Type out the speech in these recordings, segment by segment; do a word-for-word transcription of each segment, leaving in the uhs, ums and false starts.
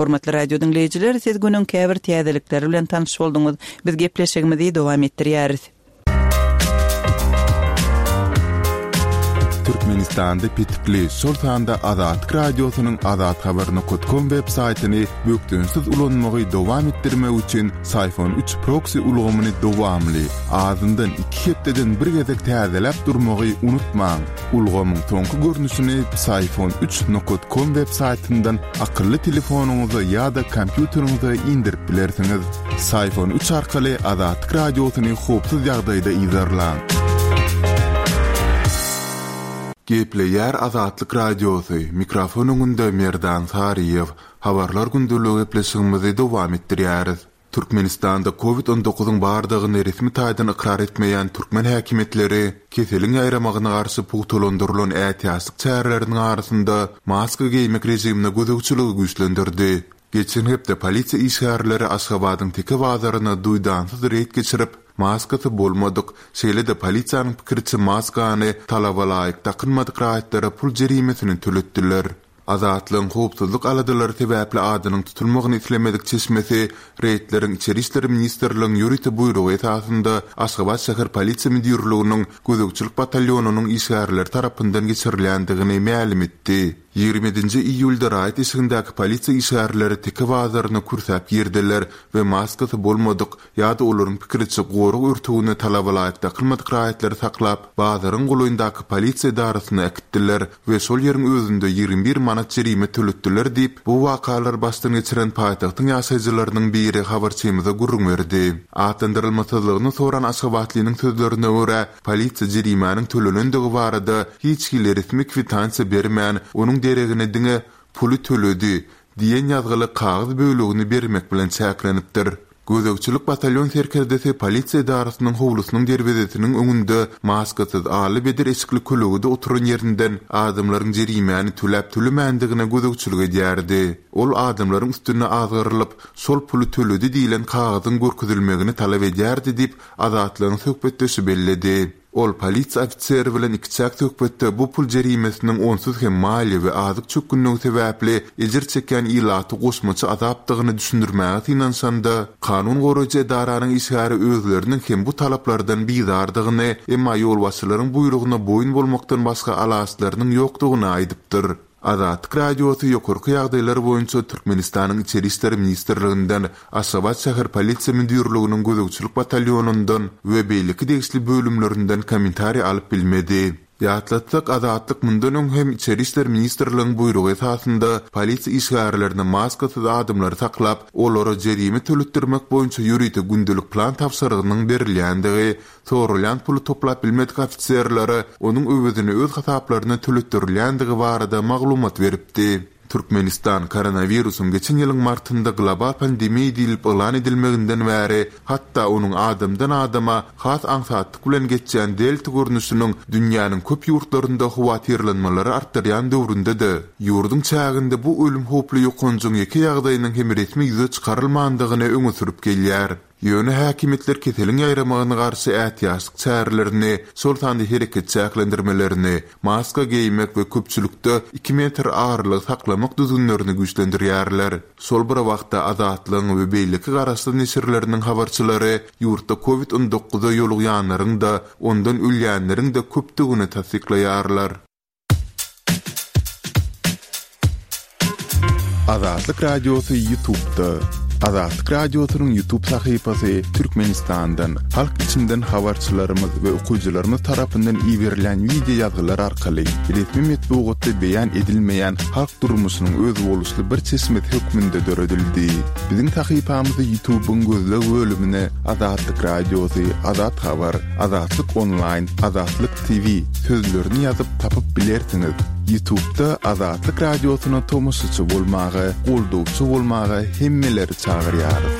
Hormatly radio diňleýjiler, siz günüň käbir täzelikleri bilen tanyş bolduňyz. Biz gepleşigimizi dowam etdirýäris. Türkmenistanda petikli, şol sanda Azatlyk Radiosynyň azathabar.com web saýtyny bökdençsiz ulanmagy dowam etdirmek üçin Syfon üç proksi ulgamyny dowamly, azyndan iki hepdeden bir gezek täzeläp durmagy unutmaň. Ulgamyň soňky görnüşini Psiphon üç nokat com web saýtyndan akylly telefonyňyza ýa-da kompýuteriňize indirip bilersiňiz. Psiphon üç arkaly Azatlyk Radiosyny howpsuz ýagdaýda yzarlaň. Gepleýär Azatlyk Radiosy, mikrofon öňünde Merdan Saryýew. Habarlar gündeligi gepleşigimizi dowam etdirýäris. Türkmenistanda Covid on dokuzyň bardygyny resmi taýdan ykrar etmeýän türkmen häkimiýetleri keseliň ýaýramagyna garşy pugtalandyrylan ätiýaçlyk çäreleriniň arasynda maska geýmek režimine gözegçiligi güýçlendirdi. Geçen hepde polisiýa işgärleri Aşgabadyň Teke bazaryna duýdansyz reýd geçirip, maskasy bolmadyk, şeýle-de polisiýanyň pikiriçe maskany talaba laýyk dakynmadyk raýatlara pul jerimesini töletdiler. Azatlygyň howpsuzlyk aladalary sebäpli adynyň tutulmagyny islemedik çeşmesi reýdleriň Içeri işler ministrligiň ýörite buýrugy esasynda Aşgabat şäher polisiýa müdirliginiň gözegçilik batalýonynyň işgärleri tarapyndan geçirilýändigini mälim etdi. Ýigrimi ýedinji iýulda raýat eşigindäki polisiýa işgärleri Teke bazaryna kürsäp girdiler we maskasy bolmadyk ýa-da olaryň pikiriçe gorag örtügine talaba laýyk dakylmadyk raýatlary saklap, bazaryň golaýyndaky polisiýa edarasyna äkitdiler we şol ýeriň özünde ýigrimi bir manat jerime töletdiler diýip, bu wakalary başdan geçiren paýtagtyň ýaşaýjylarynyň biri habarçymyza gürrüň berdi. Atlandyrylmasyzlygyny soran aşgabatlynyň sözlerine görä, polisiýa jerimäniň tölenendigi barada hiç hili resmi kwitansiýa bermän, onuň deregine diňe puly töledi diýen ýazgyly kagyz bölegini bermek bilen çäklenipdir. Gözegçilik batalýon serkerdesi polisiýa edarasynyň howlusynyň derwezesiniň öňünde maskasyz aly bedir eşikli kölegede oturan ýerinden adamlaryň jerimäni töläp-tölemändigine gözegçilik edýärdi. Ol adamlaryň üstüne azgyrylyp, şol puly töledi diýlen kagyzyň görkezilmegini talap edýärdi diýip, Azatlygyň söhbetdeşi belledi. Ol polisiýa ofiseri bilen ikiçäk söhbetde bu pul jerimesiniň onsuz hem maliýe we azyk çökgünligi sebäpli ejir çekýän ilaty goşmaça azapdygyny düşündirmäge synanyşanda, kanun goraýjy edaranyň işgäri özleriniň hem bu talaplardan bizardygyny, emma ýolbaşçylaryň buýrugyna boýun bolmakdan başga alaçlarynyň ýokdugyny aýdypdyr. Azatlyk Radiosy ýokarky ýagdaýlar boýunça Türkmenistanyň Içeri işler ministrliginden, Aşgabat şäher polisiýa müdirliginiň gözegçilik batalýonyndan we beýleki degişli bölümlerinden kommentariý alyp bilmedi. Ýatlatsak, Azatlyk mundan öň hem Içeri işler ministrligiň buýrugy esasynda polisiýa işgärlerine maskasyz adamlary saklap, olara jerime töletdirmek boýunça ýörite gündelik plan tabşyrygynyň berilýändigi, soralýan puly toplap bilmedik ofiserlere onuň öwezini öz hasaplaryna töletdirilýändigi barada maglumat beripdi. Türkmenistan koronawirusyň geçen ýylyň martynda global pandemiýa diýlip yglan edilmeginden bäri, hatda onuň adamdan adama has aňsatlyk bilen geçýän delta görnüşiniň dünýäniň köp ýurtlarynda howatyrlanmalary artdyrýan döwründe-de, ýurduň çäginde bu ölüm howply ýokanjyň ýeke ýagdaýynyň hem resmi ýüze çykarylmandygyny öňe sürüp gelýär. Ýöne häkimiýetler keseliň ýaýramagyna garşy ätiýaçlyk çärelerini, şol sanda hereket çäklendirmelerini, maska geýmek we köpçülikde iki metr aralygy saklamak düzgünlerini güýçlendirýärler. Şol bir wagtda Azatlygyň we beýleki garaşsyz neşirleriniň habarçylary ýurtda Covid on dokuza ýolugýanlaryň-da, ondan ölýänleriň-de köpdügini tassyklaýarlar. Azatlyk Radiosy YouTube'da. Azatlyk Radiosynyň YouTube sahypasy Türkmenistandan, halk içinden habarçylarymyz we okyjylarymyz tarapyndan iberilýän wideo ýazgylar arkaly resmi metbugatda beýan edilmeýän halk durmuşynyň özboluşly bir çeşmesi hökmünde döredildi. Biziň sahypamyzy YouTube'yň gözleg bölümine Azatlyk Radiosy, Azat Habar, Azatlyk Online, Azatlyk T V sözlerini ýazyp tapyp bilersiňiz. YouTube'da Azatlyk Radiosyna tomaşaçy bolmaga, goldawçy bolmaga hemmeleri çagyrýarys.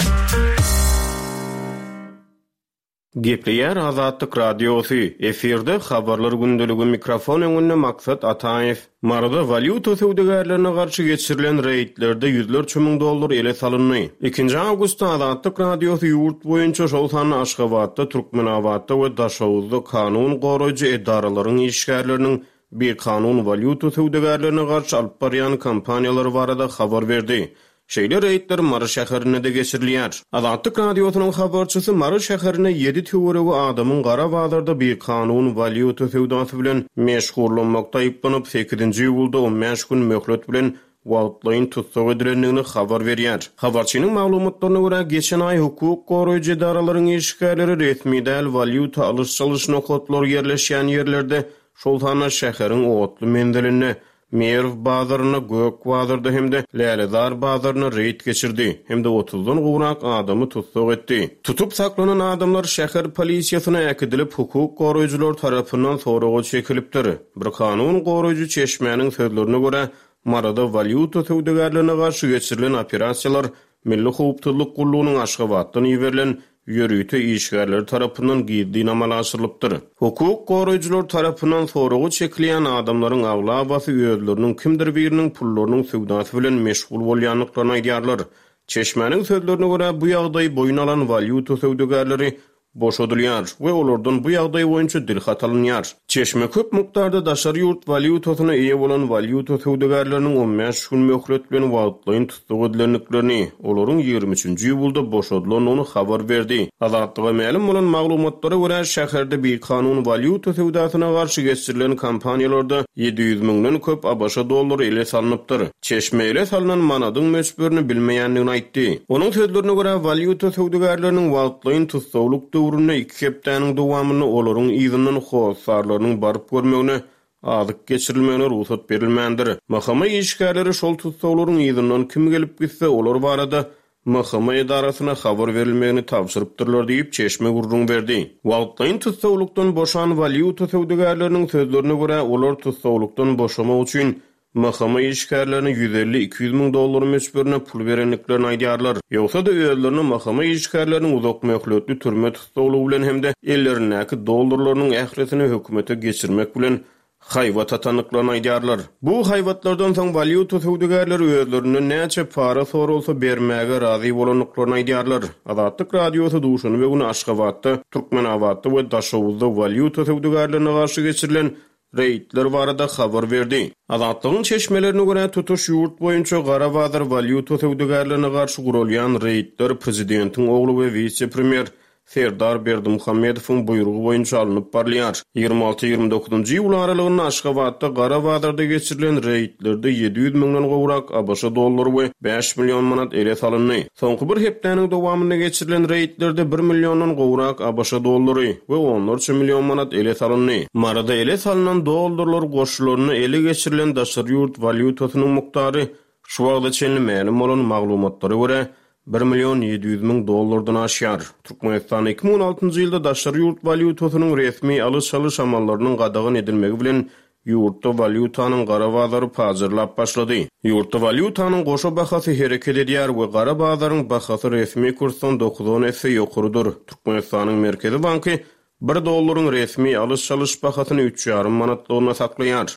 Gepleýär Azatlyk Radiosy. Efirde habarlar gündeligi, mikrofon öňünde Maksat Ataýew. Maryda walýuta söwdagärlerine garşy geçirilen reýdlerde ýüzlerçe müň dollar ele salyndy. Ikinji awgustda Azatlyk Radiosy ýurt boýunça, şol sanda Aşgabatda, Türkmenabatda we Daşoguzda kanun goraýjy edaralaryň işgärleriniň bikanun walýuta söwdagärlerine garşy alyp barýan kampaniýalary barada habar berdi. Şeýle reýdler Mary şäherinde-de geçirilýär. Azatlyk Radiosynyň habarçysy Mary şäherinde ýedi töweregi adamyň gara bazarda bikanun walýuta söwdasy bilen meşgullanmakda aýyplanyp, sekizinji iýulda on bäş gün möhlet bilen wagtlaýyn tussag edilendigini habar berýär. Habarçynyň maglumatlaryna görä, geçen aý hukuk goraýjy edaralaryň işgärleri resmi däl walýuta alyş-çalyş nokatlary ýerleşýän ýerlerde, şol sanda şäheriň otly menzilinde, Merw bazarynda, Gök bazarda hem-de Lälezar bazarynda reýd geçirdi hem-de otuzdan gowrak adamy tussag etdi. Tutup saklanan adamlar şäher polisiýasyna äkidilip, hukuk goraýjylar tarapyndan soraga çekilipdir. Bir kanun goraýjy çeşmäniň sözlerine görä, Maryda walýuta söwdagärlerine garşy geçirilen operasiýalar Milli howpsuzlyk gullugynyň Aşgabatdan iberilen ýörite işgärleri tarapyndan gizlin amala aşyrylypdyr. Hukuk goraýjylar tarapyndan soraga çekilýän adamlaryň aglabasy özleriniň kimdir biriniň pullarynyň söwdasy bilen meşgul bolýandyklaryny aýdýarlar. Çeşmäniň sözlerine görä, bu ýagdaýy boýun alan walýuta söwdagärleri boşadylýar we olardan bu ýagdaý boýunça dilhat alynýar. Çeşme köp mukdarda daşary ýurt walýutasyna eýe bolan walýuta söwdagärleriniň on bäş gün möhlet bilen wagtlaýyn tussag edilendiklerini, olaryň ýigrimi üçünji iýulda boşadylandygyny habar berdi. Azatlyga mälim bolan maglumatlara görä, şäherde bikanun walýuta söwdasyna garşy geçirilen kampaniýalarda ýedi ýüz müňden köp ABŞ dollary ele salnypdyr. Çeşme ele salynan manadyň möçberini bilmeýändigini aýtdy. Onuň sözlerine görä, walýuta söwdagärleriniň wagtlaýyn tussaglyk döwründe iki hepdäniň dowamynda olaryň yzyndan hossarlarynyň baryp görmegine, azyk geçirilmegine rugsat berilmändir. M H M işgärleri şol tussaglaryň yzyndan kim gelip gitse, olar barada M H M edarasyna habar berilmegini tabşyrypdyrlar diýip, çeşme gürrüň berdi. Wagtlaýyn tussaglykdan boşan walýuta söwdagärleriniň sözlerine görä, olar tussaglykdan boşamak üçin M H M işgärlerine ýüz elli iki ýüz müň dollar möçberine pul berendiklerini aýdýarlar. Ýogsa-da özlerine M H M işgärleriniň uzak möhletli türme tussaglygy bilen hem-de ellerindäki dollarlarynyň ählisini hökümete geçirmek bilen haýbat atandyklaryny aýdýarlar. Bu haýbatlardan soň walýuta söwdagärleri özlerinden näçe para soralsa bermäge razy bolandyklaryny aýdýarlar. Azatlyk Radiosy duşenbe güni Aşgabatda, Türkmenabatda we Daşoguzda walýuta söwdagärlerine garşy geçirilen reýdler barada habar berdi. Azatlygyň çeşmelerine görä, tutuş ýurt boýunça gara bazar walýuta söwdagärlerine garşy guralýan reýdler prezidentiň ogly we wise-premýer Serdar Berdimuhamedowyň buýrugy boýunça alnyp barylýar. Ýigrimi alty ýigrimi dokuzynjy iýul aralygynda Aşgabatda gara bazarda geçirilen reýdlerde ýedi ýüz müňden gowrak ABŞ dollary we bäş million manat ele salyndy. Soňky bir hepdäniň dowamynda geçirilen reýdlerde bir milliondan gowrak ABŞ dollary we onlarça million manat ele salyndy. Maryda ele salynan dollarlar goşularyna ele geçirilen daşary ýurt walýutasynyň mukdary şu wagta çenli mälim bolan maglumatlara görä bir million ýedi ýüz müň dollardan aşýar. Türkmenistan iki müň on altynjy ýylda daşary ýurt walýutasynyň resmi alyş-çalyş amallarynyň gadagan edilmegi bilen ýurtda walýutanyň gara bazary pajarlap başlady. Ýurtda walýutanyň goşa bahasy hereket edýär we gara bazaryň bahasy resmi kursdan dokuz on esse ýokarydyr. Türkmenistanyň Merkezi Banky bir dollaryň resmi alyş-çalyş bahasyny üç ýarym manatlygyna saklaýar.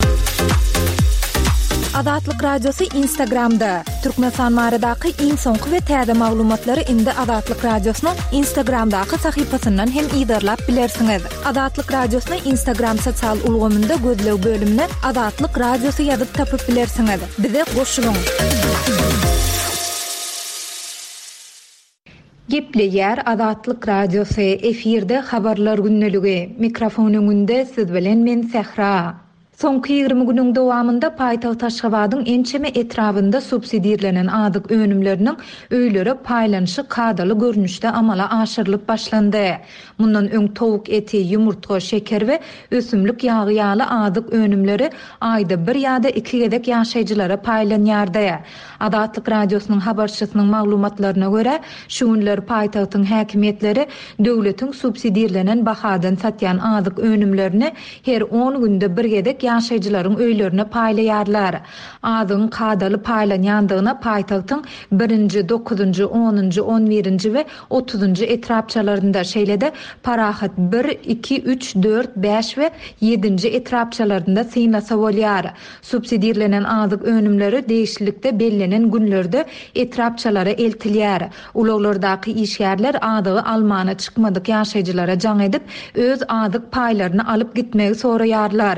Azatlyk Radiosy Instagramda. Türkmenistan baradaky iň soňky we täze maglumatlary indi Azatlyk Radiosynyň Instagramdaky sahypasyndan hem yzarlap bilersiňiz. Azatlyk Radiosyny Instagram sosial ulgamynda gözleg bölümine Azatlyk Radiosy ýazyp tapyp bilersiňiz. Bize goşulyň. Gepleýär Azatlyk Radiosy, efirde habarlar gündeligi. Mikrofon öňünde siz bilen men Sähra. Soňky ýigrimi günüň dowamynda paýtagt Aşgabadyň ençeme etrabynda subsidirlenen azyk önümleriniň öýlere paýlanyşy kadaly görnüşde amala aşyrylyp başlandy. Mundan öň towuk eti, ýumurtga, şeker we ösümlik ýagy ýaly azyk önümleri aýda bir ýa-da iki gezek ýaşaýjylara paýlanýardy. Azatlyk Radiosynyň habarçysynyň maglumatlaryna görä, şu günler paýtagtyň häkimiýetleri döwletiň subsidirlenen bahadan satýan azyk önümlerini her on günde bir gezek ýaşaýjylaryň öýlerine paýlaýarlar. Azygyň kadaly paýlanýandygyna paýtagtyň birinji, dokuzynjy, onunjy, on birinji we otuzynjy etrapçalarynda, şeýle-de Parahat bir, iki, üç, dört, bäş we ýedinji etrapçalarynda synlasa bolýar. Subsidirlenen azyk önümleri degişlilikde bellenen günlerde etrapçalara eltilýär. Ulaglardaky işgärler azygy almana çykmadyk ýaşaýjylara jaň edip, öz azyk paýlaryny alyp gitmegi soraýarlar.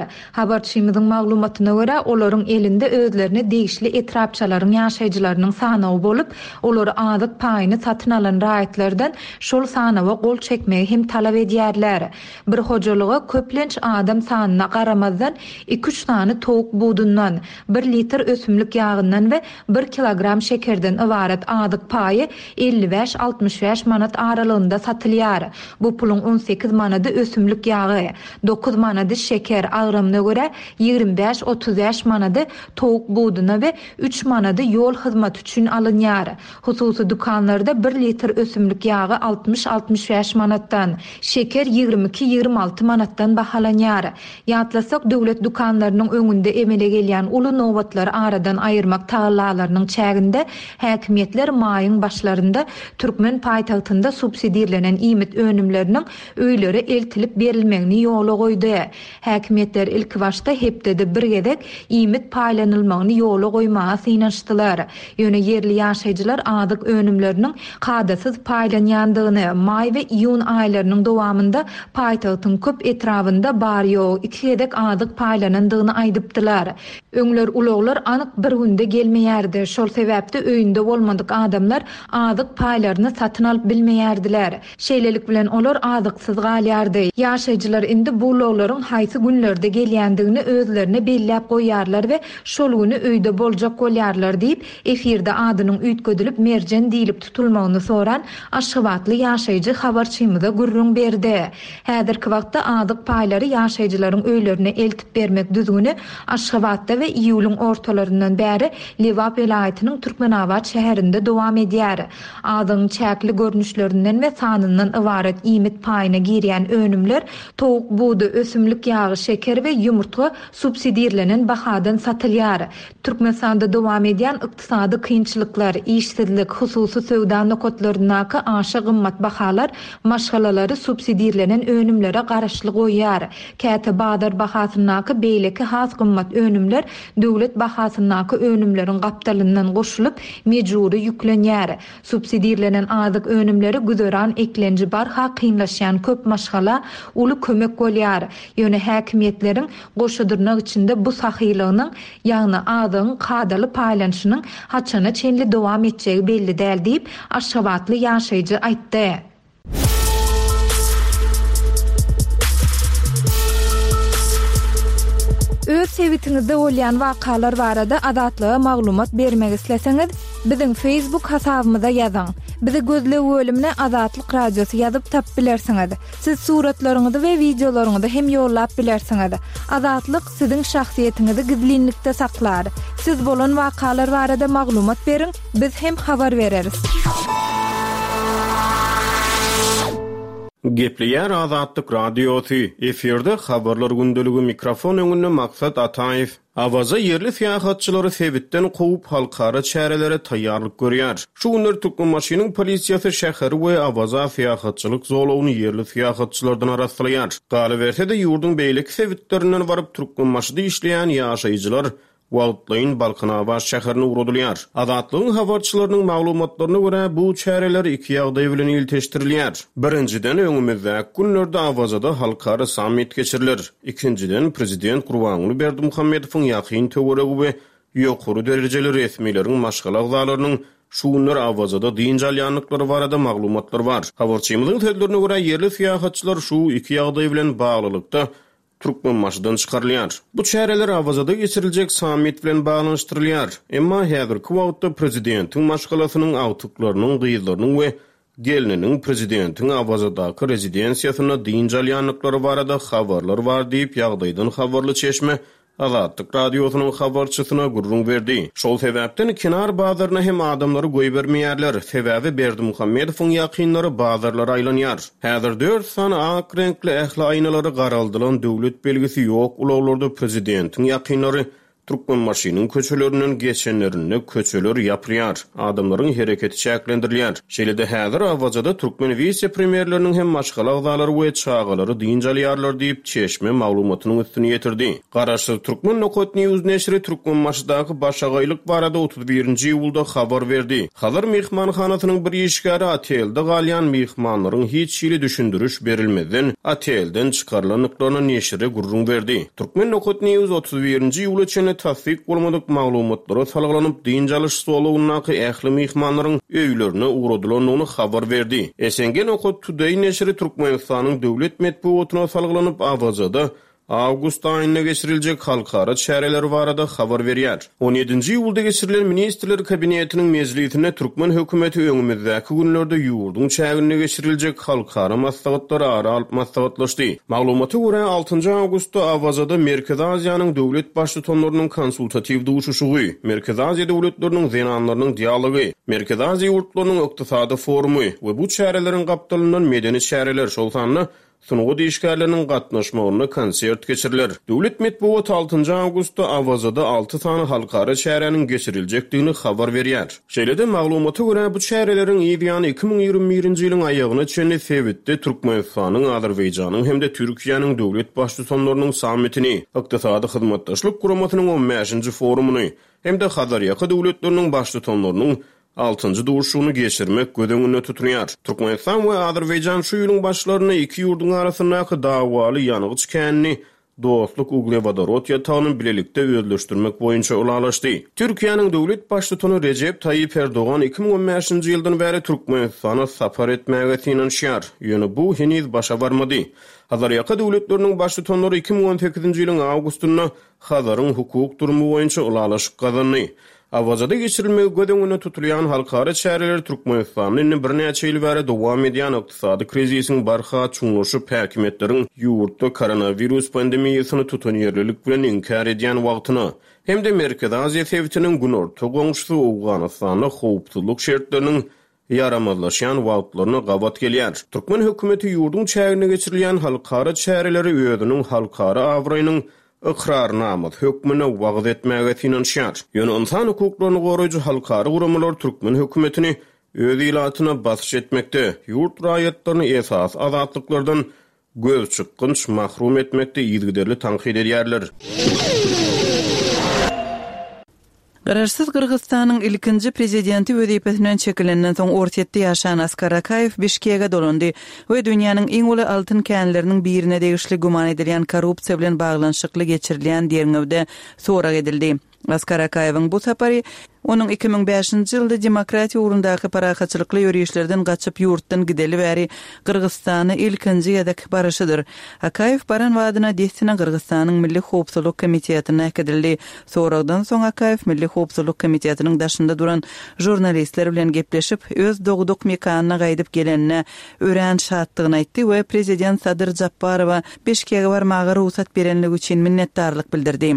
Habarçymyzyň maglumatyna görä, olaryň elinde özlerine degişli etrapçalaryň ýaşaýjylarynyň sanawy bolup, olar azyk paýyny satyn alan raýatlardan şol sanawa gol çekmegi hem talap edýärler. Bir hojalyga köplenç adam sanyna garamazdan iki-üç sany towuk budundan, bir litr ösümlik ýagyndan we bir kilogram şekerden ybarat azyk paýy elli bäş-altmyş bäş manat aralygynda satylýar. Bu puluň on sekiz manady ösümlik ýagy, dokuz manady şeker, agramyna görä ýigrimi bäş-otuz bäş manady towuk buduna we üç manady ýol hyzmaty üçin alynýar. Hususy dükanlarda bir litr ösümlik ýagy altmyş-altmyş bäş manatdan, şeker ýigrimi iki-ýigrimi alty manatdan bahalanýar. Ýatlasak, döwlet dükanlarynyň öňünde emele gelýän uly nobatlary aradan aýyrmak tagallalarynyň çäginde häkimiýetler maýyň başlarynda türkmen paýtagtynda subsidirlenen iýmit önümleriniň öýlere eltilip berilmegini ýola goýdy. Häkimiýetler ilki başda hepdede bir gezek iýmit paýlanylmagyny ýola goýmaga synanyşdylar. Ýöne ýerli ýaşaýjylar azyk önümleriniň kadasyz paýlanýandygyny, maý we iýun aýlarynyň dowamynda paýtagtyň köp etrabynda bar-ýogy iki gezek azyk paýlanandygyny aýdypdylar. Öňler ulaglar anyk bir günde gelmeýärdi. Şol sebäpde öýünde bolmadyk adamlar azyk paýlaryny satyn alyp bilmeýärdiler. Şeýlelik bilen olar azyksyz galýardy. Ýaşaýjylar indi bu ulaglaryň haýsy günlerde gelýändigini özlerine belläp goýýarlar we şol güni öýde boljak bolýarlar diýip, efirde adynyň üýtgedilip Merjen diýlip tutulmagyny soran Aşgabatly ýaşaýjy habarçymyza gürrüň berdi. Häzirki wagtda azyk paýlary ýaşaýjylaryň öýlerine eltip bermek düzgüni Aşgabatda we iýulyň ortalaryndan bäri Lebap welaýatynyň Türkmenabat şäherinde dowam edýär. Azygyň çäkli görnüşlerinden we sanyndan ybarat iýmit paýyna girýän önümler towuk budy, ösümlik ýagy, şeker we ýumurtga subsidirlenen bahadan satylýar. Türkmenistanda dowam edýän ykdysady kynçylyklar, işsizlik, hususy söwda nokatlaryndaky aşa gymmat bahalar maşgalalary subsidirlenen önümlere garaşly goýýar. Käte bazar bahasyndaky beýleki has gymmat önümler döwlet bahasyndaky önümleriň gapdalyndan goşulyp mejbury ýüklenýär. Subsidirlenen azyk önümleri güzeran eklenji barha kynlaşýan köp maşgala uly kömek bolýar. Ýöne häkimiýetleriň goşadyrnak içinde bu sahylygynyň, ýagny azygyň kadaly paýlanyşynyň haçana çenli dowam etjegi belli däl diýip, Aşgabatly ýaşaýjy aýtdy. Öz sebitiňizde bolýan wakalar barada Azatlyga maglumat bermek isleseňiz, biziň Facebook hasabymyza ýazyň. Bizi gözleg bölümine Azatlyk Radiosy ýazyp tap bilersiňiz. Siz suratlaryňyzy we wideolaryňyzy hem ýollap bilersiňiz. Azatlyk siziň şahsyýetiňizi gizlinlikde saklar. Siz bolan wakalar barada maglumat beriň, biz hem habar bereris. Gepleýär Azatlyk Radiosy, efirde habarlar gündeligi, mikrofon öňünde Maksat Ataýew. Awaza ýerli syýahatçylary sebitden kowup halkara çärelere taýýarlyk görýär. Şu günler Türkmenbaşynyň polisiýasy şäheri we Awaza syýahatçylyk zolagyny ýerli syýahatçylardan arassalaýar. Galyberse-de ýurduň beýleki sebitlerinden baryp Türkmenbaşyda işleýän ýaşaýjylar wagtlaýyn Balkanabat şäherine ugradylýar. Azatlygyň habarçylarynyň maglumatlaryna görä bu çäreler iki ýagdaý bilen ilteşdirilýär. Birinjiden öňümizdäki günlerde Awazada halkara sammit geçiriler. Ikinjiden prezident Gurbanguly Berdimuhamedowyň ýakyn töweregi we ýokary derejeli resmileriň maşgala agzalarynyň şu günler Awazada dynç alýandyklary barada maglumatlar bar. Habarçymyzyň sözlerine görä ýerli syýahatçylar şu iki ýagdaý bilen baglylykda Türkmenbaşydan çykarylýar. Bu çäreler Awazada geçiriljek sammit bilen baglanyşdyrylýar. Emma häzirki wagtda prezidentiň maşgalasynyň agtyklarynyň, gyzlarynyň we gelniniň prezidentiň Awazadaky rezidensiýasynda dynç alýandyklary barada habarlar bar diýip ýagdaýdan habarly çeşme Azatlyk Radiosynyň habarçysyna gürrüň berdi. Şol sebäpden kenar bazaryna hem adamlary goýbermeýärler. Sebäbi Berdimuhamedowyň ýakynlary bazarlara aýlanýar. Häzir dört sany ak reňkli ähli aýnalary garaldylan döwlet belgisi ýok ulaglarda prezidentiň ýakynlary Türkmenbaşynyň köçelerinden geçenlerinde köçeler ýapylýar, adamlaryň hereketi çäklendirilýär. Şeýle-de häzir Awazada türkmen wise-premýerleriniň hem maşgala agzalary we çagalary dynç alýarlar diýip, çeşme maglumatynyň üstüni ýetirdi. Garaşsyz Turkmen nokat News neşiri Türkmenbaşydaky başagaýlyk barada otuz birinji iýulda habar berdi. Hazar myhmanhanasynyň bir işgäri otelde galýan myhmanlaryň hiç hili düşündiriş berilmezden otelden çykarylandyklaryny neşire gürrüň berdi. Turkmen nokat News otuz birinji iýula çenli tassyk bolmadyk maglumatlara salgylanyp, dynç alyş zolagyndaky ähli myhmanlaryň öýlerine ugradylandygyny habar berdi. S N G nokat Today neşiri Türkmenistanyň döwlet metbugatyna salgylanyp, Awazada awgust aýynda geçiriljek halkara çäreleri barada habar berýär. On ýedinji iýulda geçirilen Ministrler Kabinetiniň mejlisinde türkmen hökümeti öňümizdäki günlerde ýurduň çäginde geçiriljek halkara maslahatlary ara alyp maslahatlaşdy. Maglumata görä, altynjy awgustda Awazada Merkezi Aziýanyň döwlet baştutanlarynyň konsultatiw duşuşygy, Merkezi Aziýa döwletleriniň zenanlarynyň dialogy, Merkezi Aziýa ýurtlarynyň ykdysady forumy we bu çäreleriň gapdalyndan medeni çäreler, şol sanda sungat işgärleriniň gatnaşmagynda konsert geçiriler. Döwlet metbugaty altynjy awgustda Awazada alty sany halkara çäräniň geçiriljekdigini habar berýär. Şeýle-de maglumata görä, bu çäreleriň yz ýany iki müň ýigrimi birinji ýylyň aýagyna çenli sebitde Türkmenistanyň, Azerbaýjanyň hem-de Türkiýäniň döwlet baştutanlarynyň sammitini, Ykdysady hyzmatdaşlyk guramasynyň on bäşinji forumyny hem-de Hazarýaka döwletleriniň baştutanlarynyň altynjy duşuşygyny geçirmek göz öňünde tutulýar. Türkmenistan we Azerbaýjan şu ýylyň başlarynda iki ýurduň arasyndaky dawaly ýangyç känini Dostluk uglewodorod ýatagyny bilelikde özleşdirmek boýunça ylalaşdy. Türkiýäniň döwlet baştutany Rejep Taýyp Erdogan iki müň on bäşinji ýyldan bäri Türkmenistana sapar etmäge synanyşýar. Ýöne bu heniz başa barmady. Hazarýaka döwletleriniň baştutanlary iki müň on sekizinji ýylyň awgustynda Hazaryň hukuk durumy boýunça ylalaşyk gazandy. Awazada geçirilmegi göz öňünde tutulýan halkara çäreleri Türkmenistanda indi birnäçe ýyl bäri dowam edýän ykdysady krizisiň barha çuňlaşyp, häkimiýetleriň ýurtda koronawirus pandemiýasyny tutanýerlilik bilen inkär edýän wagtyna hem-de Merkezi Aziýa sebitiniň günorta goňşusy Owganystanda howpsuzlyk şertleriniň ýaramazlaşýan wagtlaryna gabat gelýär. Türkmen hökümeti ýurduň çäginde geçirilýän halkara çäreleri özüniň halkara abraýynyň ykrarnamasy hökmünde wagyz etmäge synanyşýar. Ýöne ynsan hukuklaryny goraýjy halkara guramalar türkmen hökümetini öz ilatyna basyş etmekde, ýurt raýatlaryny esasy azatlyklardan göz çykgynç mahrum etmekde yzygiderli tankyt edýärler. Garaşsyz Gyrgyzystanyň ilkinji prezidenti wezipesinden çekilenden soň Orsýetde ýaşan Askar Akaýew Bişkege dolandy we dünýäniň iň uly altyn känleriniň birine degişli güman edilýän korrupsiýa bilen baglanyşykly geçirilýän derňewde sorag edildi. Askar Akaýewiň bu sapary onuň iki müň bäşinji ýylda demokratiýa ugrundaky parahatçylykly ýörişlerden gaçyp ýurtdan gideli bäri Gyrgyzystana ilkinji gezek baryşydyr. Akaýew baran wadyna dessine Gyrgyzystanyň Milli Howpsuzlyk Komitetine äkidildi. Soragdan soň Akaýew Milli Howpsuzlyk Komitetiniň daşynda duran žurnalistler bilen gepleşip, öz dogduk mekanyna gaýdyp gelenine örän şatdygyny aýtdy we prezident Sadyr Japarowa Bişkege barmaga rugsat berenligi üçin minnetdarlyk bildirdi.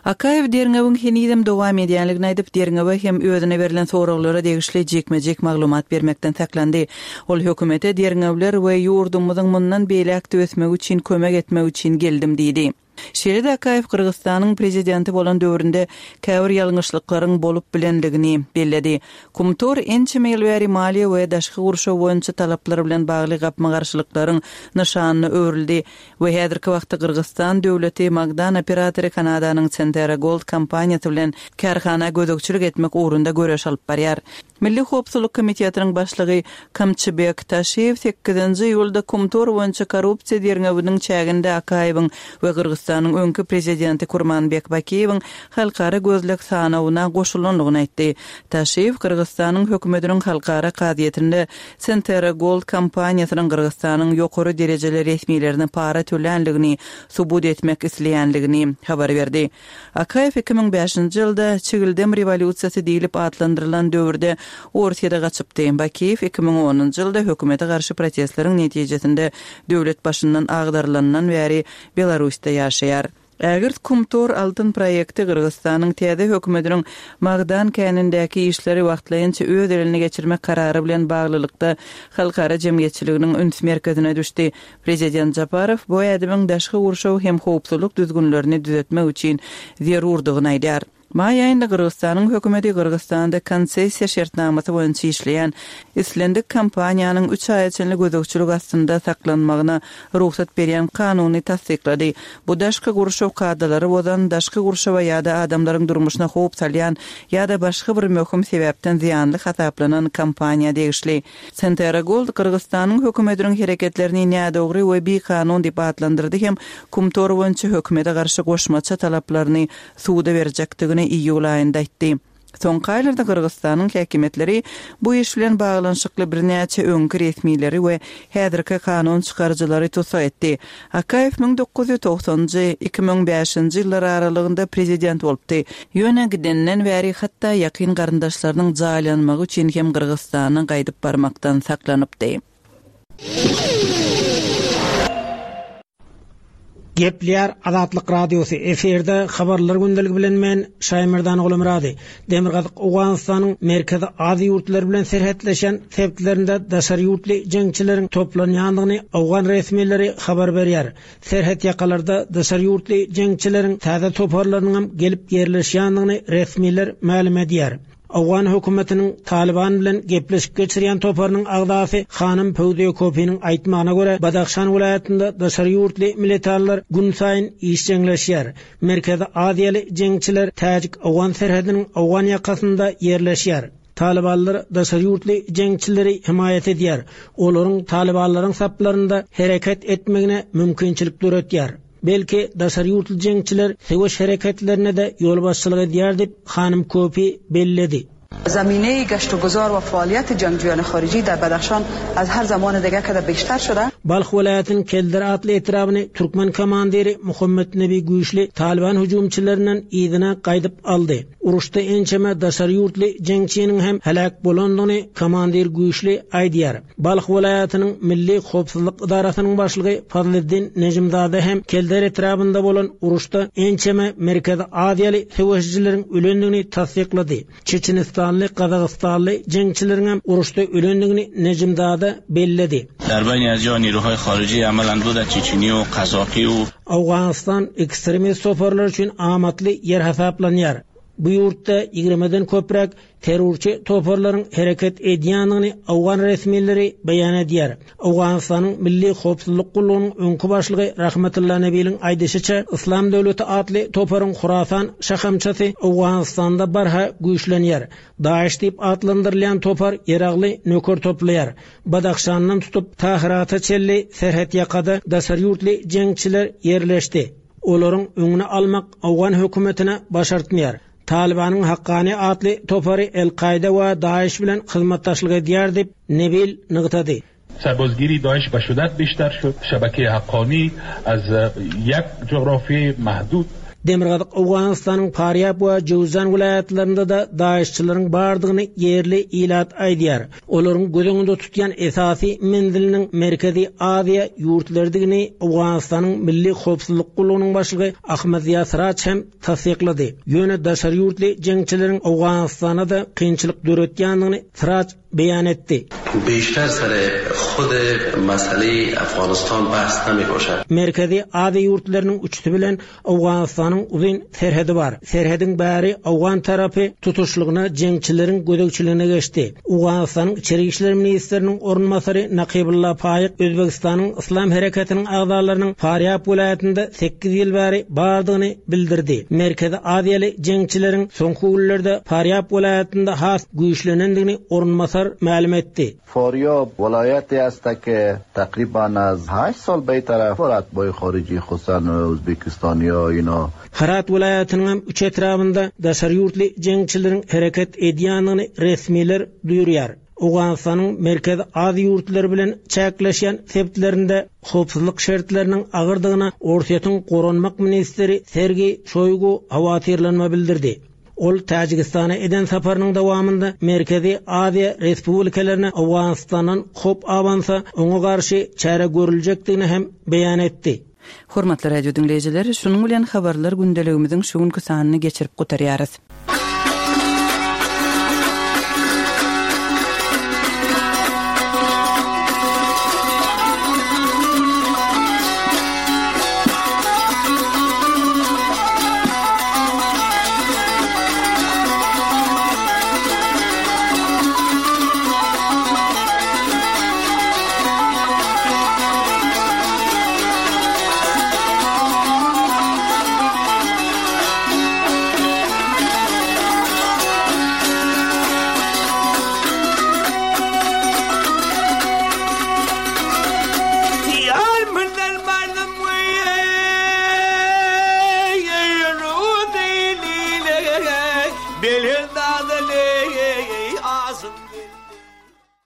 Akaýew derňewiň henizem dowam edýänligini aýdyp, derňewe hem özüne berlen soraglara degişli jikme-jik maglumat bermekden saklandy. Ol hökümete derňewler we ýurdumyzyň mundan beýläk ösmegi üçin kömek etmek üçin geldim diýdi. Şeýle-de Akaýew Gyrgyzystanyň prezidenti bolan döwründe käbir ýalňyşlyklaryň bolup bilenligini belledi. Kumtor ençeme ýyl bäri maliýe we daşky gurşaw boýunça talaplar bilen bagly gapma-garşylyklaryň nyşanyna öwrüldi we häzirki wagtda Gyrgyzystan döwleti Magdan operatory Kanadanyň Centerra Gold kompaniýasy bilen kärhana gözegçilik etmek ugrunda göreş alyp barýar. Milli Howpsuzlyk Komitetiniň başlygy Kamçybek Taşiýew sekizinji iýulda Kumtor boýunça korrupsiýa derňewiniň çäginde Akaýewiň we Gyrgyzystanyň öňki prezidenti Kurmanbek Bakiýewiň halkara gözleg sanawyna goşulandygyny aýtdy. Taşiýew Gyrgyzystanyň hökümetiniň halkara kazyýetinde Centerra Gold kompaniýasynyň Gyrgyzystanyň ýokary derejeli resmilerine para tölänligini subut etmek isleýänligini habar berdi. Akaýew iki müň bäşinji ýylda Çigildem rewolýusiýasy diýlip atlandyrylan döwürde Orsýete gaçypdy. Bakiýew iki müň onunjy ýylda hökümete garşy protestleriň netijesinde döwlet başyndan agdarylandan bäri Belarusda ýaşaýar. Ägirt Kumtor altyn proýekti Gyrgyzystanyň täze hökümetiniň magdan känindäki işleri wagtlaýynça öz eline geçirmek karary bilen baglylykda halkara jemgyýetçiliginiň üns merkezine düşdi. Prezident Japarow bu ädimiň daşky gurşaw hem howpsuzlyk düzgünlerini düzetmek üçin zerurdygyny aýdýar. Maý aýynda Gyrgyzystanyň hökümeti Gyrgyzystanda konsessiýa şertnamasy boýunça işleýän islendik kompaniýanyň üç aýa çenli gözegçilik astynda saklanmagyna rugsat berýän kanuny tassyklady. Bu daşky gurşaw kadalary bozan, daşky gurşawa ýa-da adamlaryň durmuşyna howp salýan ýa-da başga bir möhüm sebäpden zyýanly hasaplanan kompaniýa degişli. Centerra Gold Gyrgyzystanyň hökümetiniň hereketlerini nädogry we bikanun diýip atlandyrdy hem Kumtor boýunça hökümete garşy goşmaça talaplaryny suda berjekdigini iýul aýynda aýtdy. Soňky aýlarda Gyrgyzystanyň häkimiýetleri bu iş bilen baglanyşykly birnäçe öňki resmileri we häzirki kanun çykaryjylary tussag etdi. Akaýew müň dokuz ýüz togsanynjy, iki müň bäşinji ýyllar aralygynda prezident bolupdy. Ýöne gidenden bäri hatda ýakyn garyndaşlarynyň jaýlanmagy üçin hem Gyrgyzystana gaýdyp barmakdan saklanypdy. Gepleýär Azatlyk Radiosy efirde habarlar gündeligi bilen men Şaýmerdan Gulumyrady. Demirgazyk Owganystanyň Merkezi Aziýa ýurtlary bilen serhetleşen sebitlerinde daşary ýurtly jeňçileriň toplanýandygyny owgan resmileri habar berýär. Serhet ýakalarda daşary ýurtly jeňçileriň täze toparlarynyň hem gelip ýerleşýändigini resmiler mälim edýär. Owgan hökümetiniň Taliban bilen gepleşik geçirýän toparynyň agzasy Hanym Pöwziýe Kopiniň aýtmagyna görä, Badahşan welaýatynda daşary ýurtly militarlar gün saýyn işjeňleşýär. Merkezi Aziýaly jeňçiler Täjik-Owgan serhediniň owgan ýakasynda ýerleşýär. Talibanlar daşary ýurtly jeňçileri himaýat edýär. Olaryň Talibanlaryň saplarynda hereket etmegine mümkinçilik döretýär. Belki daşary ýurtly jeňçiler söweş hereketlerine de ýolbaşçylyk edýär diýip Hanym Kopi belledi. Zamine گشت و گذار و فعالیت جنگجویان خارجی در بدخشان از هر زمان دیگه که بیشتر شده. Balh welaýatynyň Keldir atly etrabyny Türkmen komandiri Muhammed Nebi Güýçli Taliban hüjümçilerinden yzyna gaýdyp aldy. Uruşda ençeme daşary ýurtly jeňçiniň hem helak bolandygyny komandir Güýçli aýdýar. Balh welaýatynyň Milli Howpsuzlyk idarasynyň başlygy Fazliddin Nejimzade hem Keldir etrabynda bolan uruşda ençeme Merkezi Aziýaly söweşijileriň ölendigini tassyklady. Çeçenistanly, Gazagystanly jeňçileriň hem uruşda ölendigini Nejimzade belledi. در بین از یا نیروهای خارجی عملاً بود چچنی و قزاقی و Owganystan ekstremist toparlar üçin amatly ýer hasaplanýar. Bu ýurtda ýigrimeden köpräk terrorçy toparlaryň hereket edýändigini owgan resmileri beýan edýär. Owganystanyň Milli Howpsuzlyk gullugynyň öňki başlygy Rahmetulla Nebiliň aýdyşyça, Islam döwleti atly toparyň Hurasan şahamçasy Owganystanda barha güýçlenýär. Daesh diýip atlandyrylýan topar ýeragly nöker toplaýar. Badahşandan tutup Tahirata çenli serhet ýakada daşary ýurtly jeňçiler ýerleşdi. Olaryň öňüni almak owgan hökümetine başartmaýar. Talibanyň Hakkani atly topary El-Kaide we Daesh bilen hyzmatdaşlyk edýär diýip Nebil nygtady. سربازگیری داعش به شدت بیشتر شد. شبکه حقانی از یک جغرافی محدود Demirgazyk Owganystanyň Farýab we Jowzan welaýatlarynda da Daeşçileriň bardygyny ýerli ilat aýdýar. Olaryň göz öňünde tutýan esasy menziliniň Merkezi Aziýa ýurtlarydygyny Owganystanyň Milli Howpsuzlyk gullugynyň başlygy Ahmed Ziýa Siraç hem tassyklady. Ýöne daşary ýurtly jeňçileriň Owganystana da kynçylyk döretýändigini Siraç beýan etdi. Beşter sere xud mesele Afganistan bahs nemiboşad. Merkezi Aziýa ýurtlarynyň üçüsi bilen Owganystanyň uzyn serhedi bar. Serhediň bäri Owgan tarapy tutuşlygyna jeňçileriň gözegçiligine geçdi. Owganystanyň Içeri işler ministriniň orunbasary Nakibulla Paýyk Özbegistanyň Islam hereketiniň agzalarynyň Farýab welaýatynda sekiz ýyl bäri bardygyny bildirdi. Merkezi Aziýaly jeňçileriň soňky günlerde Farýab welaýatynda has güýçlenendigini orunbasar mälim etdi. Faryab vilayeti است که تقریبا از هشت سال به طرف اتباع خارجی خصوصا ازبکستانی ها اینا Herat welaýatynyň hem üç etrabynda daşary ýurtly jeňçileriň hereket edýändigini resmiler duýurýar. Owganystanyň Merkezi Aziýa ýurtlary bilen çäkleşýän sebitlerinde howpsuzlyk şertleriniň agyrdygyna Orsýetiň Goranmak ministri Sergey Shoigu howatyrlanma bildirdi. Ol Täjigistana eden saparynyň dowamynda Merkezi Aziýa Respublikalaryna Owganistandan howp abansa oňa garşy çäre görüljekdigini hem beýan etdi. Hormatly radio diňleýjiler, şunuň bilen habarlar gündeligimiziň şu günki sanyny geçirip gutarýarys.